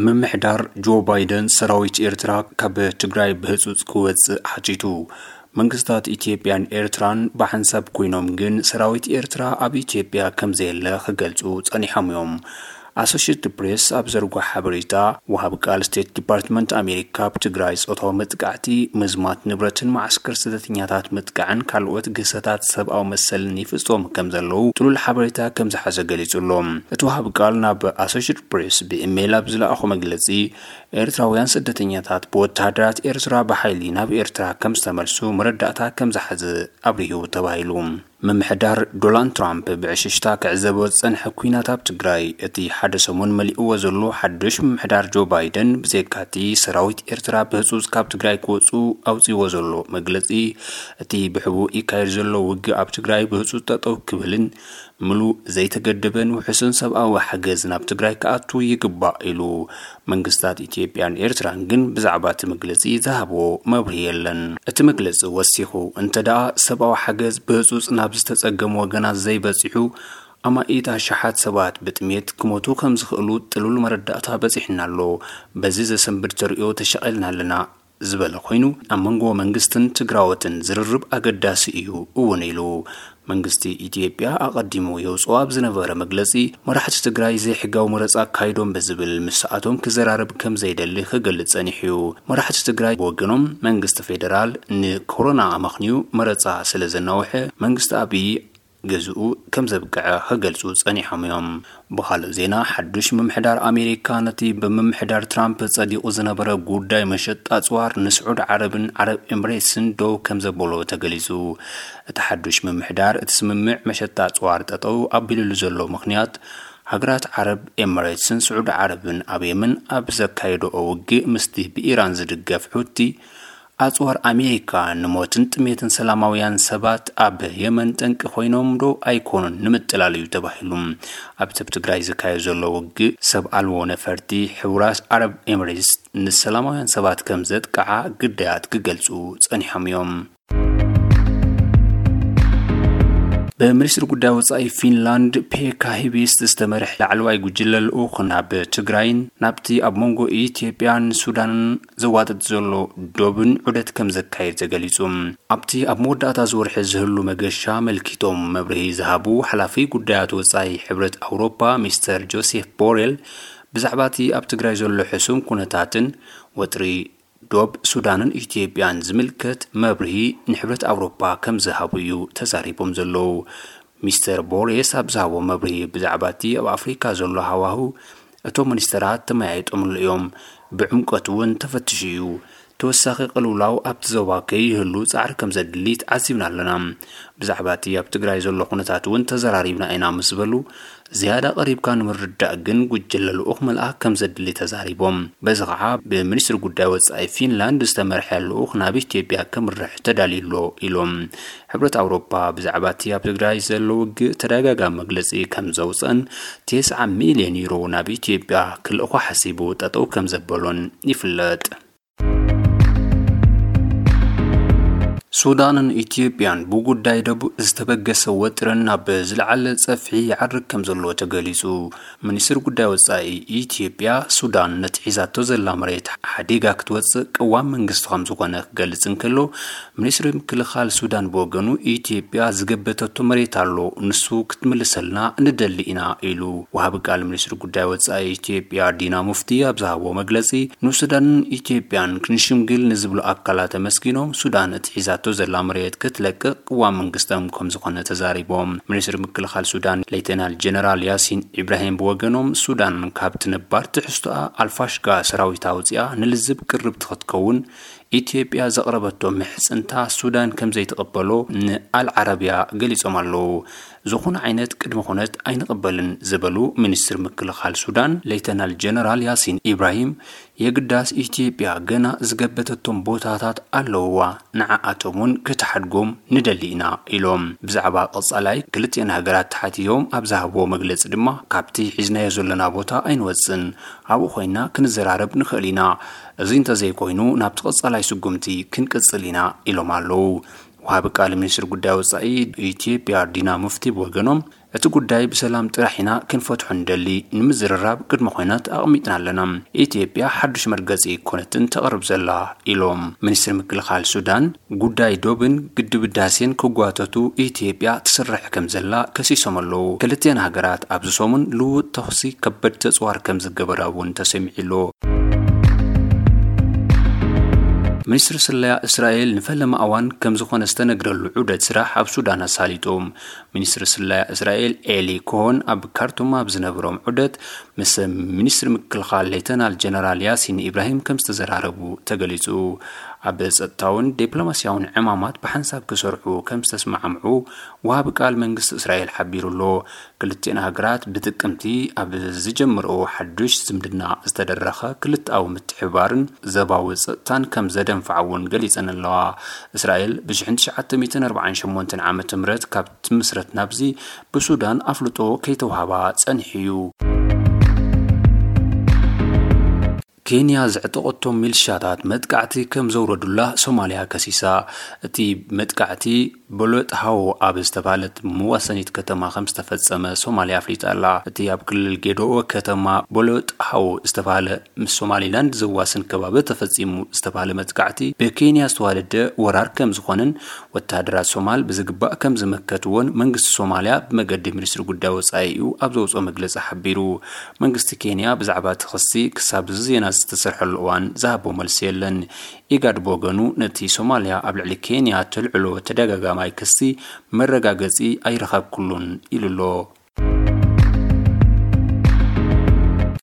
ምምሕዳር ጆ ባይደን ሰራዊት ኤርትራ ካብ ትግራይ ብህጹጽ ክወጽእ ሓቲቱ። መንግስታት ኢትዮጵያን ኤርትራን ብሓንሳብ ኮይኖም ግን ሰራዊት ኤርትራ ኣብ ኢትዮጵያ ከም ዘየለ ክገልጹ ጸኒሖም እዮም። ኣሶሽየትድ ፕሬስ ኣብ ዘርጎ ሓበሬታ፣ ወሃቢ ቃል ስቴት ዲፓርትመንት ኣሜሪካ ኣብ ትግራይ ጾታዊ መጥቃዕቲ፣ ምዝማት ንብረትን መዓስከር ስደተኛታት ምጥቃዕን ካልኦት ግህሰታት ሰብኣዊ መሰልን ይፍጸሙ ከም ዘለዉ ጥሉል ሓበሬታ ከም ዝሓዘ ገሊጹ ኣሎ። እቲ ወሃቢ ቃል ናብ ኣሶሽየትድ ፕሬስ ብኢሜይል ኣብ ዝለኣኾ መግለጺ፣ ኤርትራውያን ስደተኛታት ብወተሃደራት ኤርትራ ብሓይሊ ናብ ኤርትራ ከም ዝተመልሱ መረዳእታ ከም ዝሓዘ ኣብሪሁ ተባሂሉ። ምምሕዳር ዶናልድ ትራምፕ ብዕሽሽታ ክዕዘቦ ዝጸንሐ ኲናት ኣብ ትግራይ፣ እቲ ሓደ ሰሙን መሊእዎ ዘሎ ሓድሽ ምምሕዳር ጆ ባይደን፣ ብዘይካቲ ሰራዊት ኤርትራ ብህጹጽ ካብ ትግራይ ክወጹ ኣውጺዎ ዘሎ መግለጺ፣ እቲ ብሕቡእ ይካየድ ዘሎ ውግእ ኣብ ትግራይ ብህጹጽ ጠጠው ክብልን ምሉእ ዘይተገደበን ውሑስን ሰብኣዊ ሓገዝ ናብ ትግራይ ክኣቱ ይግባእ ኢሉ መንግስታት ኢትዮጵያን ኤርትራን ግን ብዛዕባ እቲ መግለጺ ዝሃብዎ መብርሂ የለን። እቲ መግለጺ ወሲኹ፣ እንተ ደኣ ሰብኣዊ ሓገዝ ብህጹጽ ናብ ዝተጸገሙ ወገናት ዘይበጺሑ፣ ኣማኢት ኣሽሓት ሰባት ብጥሜት ክሞቱ ከም ዝኽእሉ ጥሉል መረዳእታ በጺሕና ኣሎ። በዚ ዘሰንብድ ተርእዮ ተሸቒልና ኣለና ዝበለ ኮይኑ፣ ኣብ መንጎ መንግስትን ትግራዎትን ዝርርብ ኣገዳሲ እዩ እውን ኢሉ። መንግስቲ ኢትዮጵያ ኣቐዲሙ የውፅኦ ኣብ ዝነበረ መግለፂ፣ መራሕቲ ትግራይ ዘይሕጋዊ መረፃ ኣካይዶም ብዝብል ምስኣቶም ክዘራረብ ከም ዘይደሊ ክገልፅ ጸኒሑ እዩ። መራሕቲ ትግራይ ብወገኖም፣ መንግስቲ ፌደራል ንኮሮና ኣመኽንዩ መረፃ ስለ ዘናውሐ፣ መንግስቲ ኣብይ ገዝኡ ከም ዘብቅዐ ክገልጹ ጸኒሖም እዮም። ብኻልእ ዜና፣ ሓዱሽ ምምሕዳር ኣሜሪካ ነቲ ብምምሕዳር ትራምፕ ጸዲቑ ዝነበረ ጉዳይ መሸጣ ኣጽዋር ንስዑድ ዓረብን ዓረብ ኤምሬትስን ደው ከም ዘበሎ ተገሊጹ። እቲ ሓዱሽ ምምሕዳር እቲ ስምምዕ መሸጣ ኣጽዋር ጠጠው ኣቢሉሉ ዘሎ ምኽንያት፣ ሃገራት ዓረብ ኤምሬትስን ስዑድ ዓረብን ኣብ የመን ኣብ ዘካየድኦ ውግእ ምስቲ ብኢራን ዝድገፍ ሑቲ ኣጽዋር ኣሜሪካ ንሞትን ጥሜትን ሰላማውያን ሰባት ኣብ የመን ጠንቂ ኮይኖም ዶ ኣይኮኑን ንምጥላል እዩ ተባሂሉ። ኣብቲ ኣብ ትግራይ ዝካየድ ዘሎ ውግእ ሰብ ኣልቦ ነፈርቲ ሕቡራት ዓረብ ኤምሬትስ ንሰላማውያን ሰባት ከም ዘጥቅዓ ግዳያት ክገልጹ ጸኒሖም እዮም። ብሚኒስትሪ ጉዳይ ወጻኢ ፊንላንድ ፔካ ሂቢስት ዝተመርሐ ላዕለዋይ ጉጅለ ልኡኽ ናብ ትግራይን ናብቲ ኣብ መንጎ ኢትዮጵያን ሱዳንን ዘዋጥጥ ዘሎ ዶብን ዑደት ከም ዘካየድ ተገሊጹ። ኣብቲ ኣብ መወዳእታ እዚ ወርሒ ዝህሉ መገሻ ኣመልኪቶም መብርሂ ዝሃቡ ሓላፊ ጉዳያት ወጻኢ ሕብረት ኣውሮፓ ሚስተር ጆሴፍ ቦሬል፣ ብዛዕባ እቲ ኣብ ትግራይ ዘሎ ሕሱም ኩነታትን ወጥሪ ዶብ ሱዳንን ኢትዮጵያን ዝምልከት መብርሂ ንሕብረት ኣውሮፓ ከም ዝሃቡ እዩ ተዛሪቦም ዘለዉ። ሚስተር ቦሬስ ኣብ ዝሃቦ መብርሂ፣ ብዛዕባ እቲ ኣብ ኣፍሪካ ዘሎ ሃዋህው እቶም ሚኒስተራት ተመያይጦምሉ እዮም። ብዕምቀት እውን ተፈትሹ እዩ። ተወሳኺ ቅልውላው ኣብቲ ዞባ ከይህሉ ጻዕሪ ከም ዘድሊ ተዓዚብና ኣለና። ብዛዕባ እቲ ኣብ ትግራይ ዘሎ ኩነታት እውን ተዘራሪብና ኢና ምስ በሉ፣ ዝያዳ ቀሪብካ ንምርዳእ ግን ጉጅለ ልኡኽ ምልኣኽ ከም ዘድሊ ተዛሪቦም። በዚ ኸዓ፣ ብሚኒስትሪ ጉዳይ ወጻኢ ፊንላንድ ዝተመርሐ ልኡኽ ናብ ኢትዮጵያ ከምርሕ ተዳልዩ ኣሎ ኢሎም። ሕብረት ኣውሮፓ ብዛዕባ እቲ ኣብ ትግራይ ዘሎ ውግእ ተደጋጋሚ መግለጺ ከም ዘውፀን፣ ተስዓ ሚልዮን ዩሮ ናብ ኢትዮጵያ ክልእኾ ሓሲቡ ጠጠው ከም ዘበሎን ይፍለጥ። ሱዳንን ኢትዮጵያን ብጉዳይ ደቡብ ዝተበገሰ ወጥረን ናብ ዝለዓለ ጸፍሒ ይዓርግ ከም ዘሎ ተገሊጹ። ሚኒስትሪ ጉዳይ ወጻኢ ኢትዮጵያ፣ ሱዳን ነቲ ሒዛቶ ዘላ መሬት ሓዲጋ ክትወጽእ ቅዋም መንግስቲ ከም ዝኾነ ክገልጽ እንከሎ፣ ሚኒስትሪ ምክልኻል ሱዳን ብወገኑ፣ ኢትዮጵያ ዝገበተቶ መሬት ኣሎ፣ ንሱ ክትምልሰልና ንደሊ ኢና ኢሉ። ወሃቢ ቃል ሚኒስትሪ ጉዳይ ወጻኢ ኢትዮጵያ ዲና ሙፍቲ ኣብ ዝሃቦ መግለጺ፣ ንሱዳንን ኢትዮጵያን ክንሽምግል ንዝብሉ ኣካላት ኣመስጊኖም፣ ሱዳን እቲ ሒዛቶ ዘላ መሬት ክትለቅቕ ቅዋም መንግስቶም ከም ዝኾነ ተዛሪቦም። ሚኒስትሪ ምክልኻል ሱዳን ሌተናል ጀነራል ያሲን ኢብራሂም ብወገኖም፣ ሱዳን ካብቲ ነባር ትሕዝቶኣ ኣልፋሽጋ ሰራዊታ ኣውጺኣ ንልዝብ ቅርብቲ ክትከውን ኢትዮጵያ ዘቕረበቶ ምሕጽንታ ሱዳን ከም ዘይትቕበሎ ንኣል ዓረቢያ ገሊጾም ኣለዉ። ዝኾነ ዓይነት ቅድመ ኩነት ኣይንቕበልን ዝበሉ ሚኒስትር ምክልኻል ሱዳን ሌተናል ጀነራል ያሲን ኢብራሂም፣ የግዳስ ኢትዮጵያ ገና ዝገበተቶም ቦታታት ኣለውዋ፣ ንዓኣቶም እውን ክትሓድጎም ንደሊ ኢና ኢሎም። ብዛዕባ ቀጻላይ ክልቲአን ሃገራት ተሓትዮም ኣብ ዝሃብዎ መግለጺ ድማ፣ ካብቲ ሒዝናዮ ዘለና ቦታ ኣይንወጽን፣ ኣብኡ ኮይና ክንዘራረብ ንኽእል ኢና። እዚ እንተዘይኮይኑ ናብቲ ቀጻላይ ስጉምቲ ክንቅጽል ኢና ኢሎም ኣለዉ። ወሃቢ ቃል ሚኒስትር ጉዳይ ወጻኢ ኢትዮጵያ ዲና ሙፍቲ ብወገኖም፣ እቲ ጉዳይ ብሰላም ጥራሕ ኢና ክንፈትሖ ንደሊ፣ ንምዝርራብ ቅድመ ኩነት ኣቕሚጥና ኣለና። ኢትዮጵያ ሓዱሽ መርገጺ ኣይኮነትን ተቕርብ ዘላ ኢሎም። ሚኒስትር ምክልኻል ሱዳን፣ ጉዳይ ዶብን ግድብ ህዳሴን ክጓተቱ ኢትዮጵያ ትስርሕ ከም ዘላ ከሲሶም ኣለዉ። ክልቲኣን ሃገራት ኣብዚ ሰሙን ልውጥ ተኹሲ ከበድቲ ኣጽዋር ከም ዝገበራ እውን ተሰሚዑ ኣሎ። ሚኒስትሪ ስለያ እስራኤል ንፈለማ እዋን ከም ዝኾነ ዝተነግረሉ ዑደት ስራሕ ኣብ ሱዳን ኣሳሊጡ። ሚኒስትሪ ስለያ እስራኤል ኤሊ ኮሆን ኣብ ካርቱም ኣብ ዝነበሮም ዑደት ምስ ሚኒስትሪ ምክልኻል ሌተናል ጀነራል ያሲን ኢብራሂም ከም ዝተዘራረቡ ተገሊጹ። ኣብ ጸጥታውን ዲፕሎማስያውን ዕማማት ብሓንሳብ ክሰርሑ ከም ዝተስማዕምዑ ወሃቢ ቃል መንግስቲ እስራኤል ሓቢሩ ኣሎ። ክልቲኣን ሃገራት ብጥቅምቲ ኣብ ዝጀመርኦ ሓዱሽ ዝምድና ዝተደረኸ ክልተኣዊ ምትሕብባርን ዘባዊ ጸጥታን ከም ዘደንፍዓ እውን ገሊጸን ኣለዋ። እስራኤል ብ ሽሕን ትሽዓተ ሚእትን ኣርባዓን ሸሞንተን ዓመተ ምህረት ካብ ትምስረት ናብዚ ብሱዳን ኣፍልጦ ከይተዋህባ ጸኒሑ እዩ። ኬንያ ዘዕጠቐቶም ሚልሻታት መጥቃዕቲ ከም ዘውረዱላ ሶማልያ ከሲሳ። እቲ መጥቃዕቲ ቦሎጥ ሃዎ ኣብ ዝተባህለት መዋሰኒት ከተማ ከም ዝተፈጸመ ሶማልያ ኣፍሊጣ ኣላ። እቲ ኣብ ክልል ጌዶኦ ከተማ ቦሎጥ ሃዎ ዝተባህለ ምስ ሶማሊላንድ ዘዋስን ከባቢ ተፈጺሙ ዝተባህለ መጥቃዕቲ ብኬንያ ዝተዋደደ ወራር ከም ዝኾነን ወተሃደራት ሶማል ብዝግባእ ከም ዝመከትዎን መንግስቲ ሶማልያ ብመገዲ ሚኒስትሪ ጉዳይ ወጻኢኡ ኣብ ዘውጽኦ መግለጺ ሓቢሩ። መንግስቲ ኬንያ ብዛዕባ እቲ ክሲ ክሳብ እዚ ዜና ዝተሰርሐሉ እዋን ዝሃቦ መልሲ የለን። ኢጋድ ብወገኑ ነቲ ሶማልያ ኣብ ልዕሊ ኬንያ ተልዕሎ ተደጋጋማይ ክሲ መረጋገጺ ኣይረኸብኩሉን ኢሉ ኣሎ።